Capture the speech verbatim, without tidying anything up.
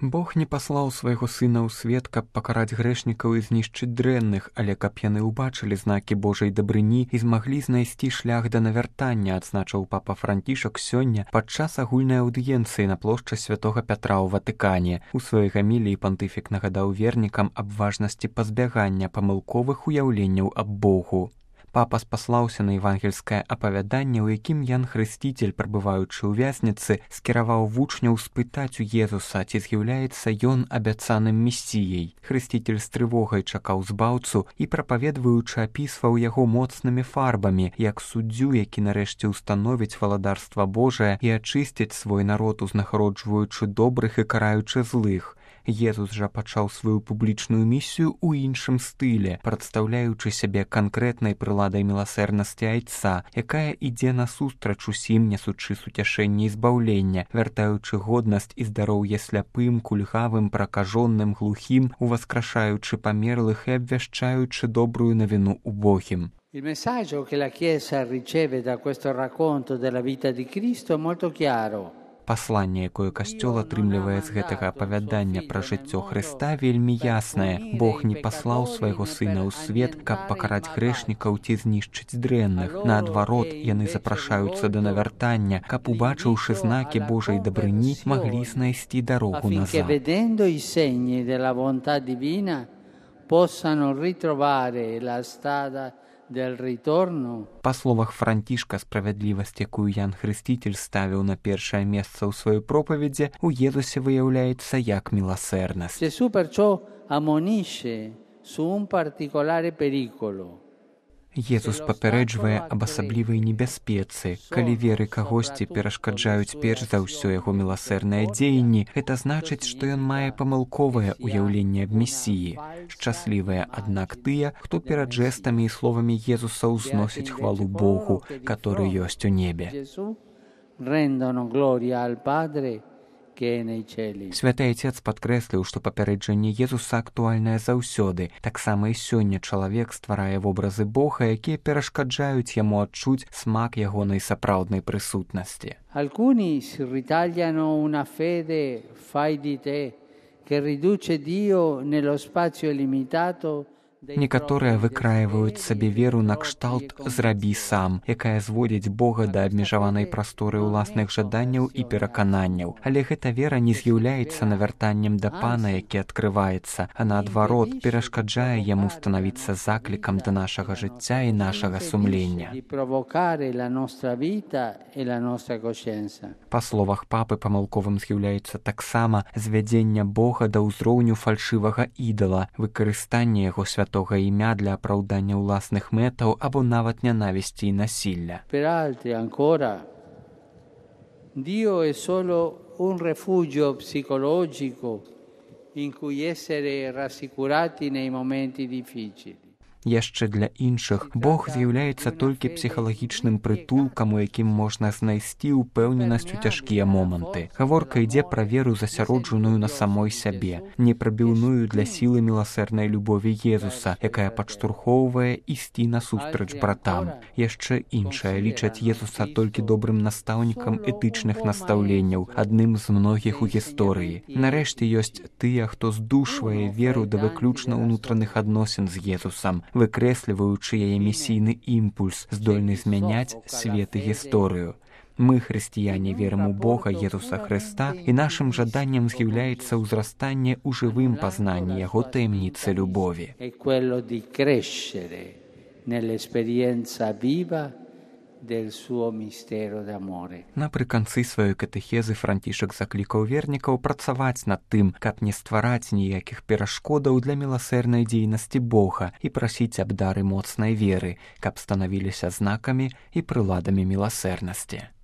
Бог не паслаў свайго сына ў свет, каб пакараць грэшнікаў і знішчыць дрэнных, але каб яны ўбачылі знакі Божай дабрыні і змаглі знайсці шлях да навяртання, адзначыў папа Францішак сёння падчас агульнай аўдыенцыі на плошчы святога Пятра ў Ватыкане. У сваёй гаміліі пантыфік нагадаў вернікам аб важнасці пазбягання памылковых уяўленняў аб Богу. Папа спаслаўся на евангельскае апавяданне, у якім Ян Хрысціцель, прабываючы ў вязніцы, скіраваў вучняў спытаць у Езуса, ці з'яўляецца ён абяцаным месіяй. Хрысціцель з трывогай чакаў збаўцу і, прапаведваючы, апісваў яго моцнымі фарбамі, як суддзю, які нарэшце ўстановіць валадарства Божае і ачысціць свой народ, узнагароджваючы добрых і караючы злых. Езус жа пачаў сваю публічную місію ў іншым стылі, прадстаўляючы сябе канкрэтнай прыладай міласэрнасці айца, якая ідзе насустрач усім, нясучы суцяшэнне і збаўлення, вяртаючы годнасць і здароўе сляпым, кульгавым, пракажоным, глухім, уваскрашаючы памерлых і абвяшчаючы добрую навіну убогім. Il messaggio che la Chiesa riceve da questo racconto della vita di Cristo è molto chiaro. Пасланне, якое касцёл атрымлівае з гэтага апавядання пра жыццё Хрыста, вельмі яснае. Бог не паслаў свайго сына ў свет, каб пакараць грэшнікаў ці знішчыць дрэнных. Наадварот, яны запрашаюцца да навяртання, каб, убачыўшы знакі Божай дабрыні, маглі знайсці дарогу назад. Vedendo i segni della volontà divina, possano ritrovare la strada del ritorno. Па словах Францішка, справядлівасць, якую Ян Хрысціцель ставіў на першае месца ў сваёй пропаведзі, у Езусе выяўляецца як міласэрнасць. Gesù perciò ammonisce su un particolare pericolo. Езус папярэджвае аб асаблівай небяспецы. Калі веры кагосьці перашкаджаюць перш за ўсё яго міласэрныя дзеянні, гэта значыць, што ён мае памылковае ўяўленне аб месіі. Шчаслівыя, аднак, тыя, хто перад жэстамі і словамі Езуса ўзносіць хвалу Богу, который ёсць у небе. Rendono gloria al Padre che è nei cieli. Святы Айцец падкрэсліў, што папярэджанне Езуса актуальнае заўсёды. Таксама і сёння чалавек стварае вобразы Бога, якія перашкаджаюць яму адчуць смак ягонай сапраўднай прысутнасці. Alcuni si ritagliano una fede fai di te che riduce Dio nello spazio limitato. Некаторыя выкраіваюць сабе веру на кшталт «зрабі сам», якая зводзіць Бога да абмежаванай прасторы ўласных жаданняў і перакананняў. Але гэта вера не з'яўляецца навяртаннем да Пана, які адкрываецца, а наадварот перашкаджае яму станавіцца заклікам да нашага жыцця і нашага сумлення. Па словах папы, памылковым з'яўляецца таксама звядзення Бога да ўзроўню фальшывага ідала, выкарыстанне яго святого святога імя для апраўдання ўласных мэтаў або нават нянавісці і насілля. Per altri ancora Dio è solo un rifugio psicologico in cui essere rassicurati nei momenti difficili. Яшчэ для іншых Бог з'яўляецца толькі псіхалагічным прытулкам, у якім можна знайсці ўпэўненасць у цяжкія моманты. Гаворка ідзе пра веру, засяроджаную на самой сябе, непрабіўную для сілы міласэрнай любові Езуса, якая падштурхоўвае ісці насустрач братам. Яшчэ іншая лічаць Езуса толькі добрым настаўнікам этычных настаўленняў, адным з многіх у гісторыі. Нарэшце ёсць тыя, хто здушвае веру да выключна ўнутраных адносін з Езусам, выкрэсліваючы яе місійны імпульс, здольны змяняць свет і гісторыю. Мы, хрысціяне, верым у Бога Езуса Хрыста, і нашым жаданнем з'яўляецца ўзрастанне ў жывым пазнанні яго таямніцы любові. È quello di crescere nell'esperienza viva del suo mistero d'amore. Напрыканцы сваёй катэхезы Францішак заклікаў вернікаў працаваць над тым, каб не ствараць ніякіх перашкодаў для міласэрнай дзейнасці Бога і прасіць аб дары моцнай веры, каб станавіліся знакамі і прыладамі міласэрнасці.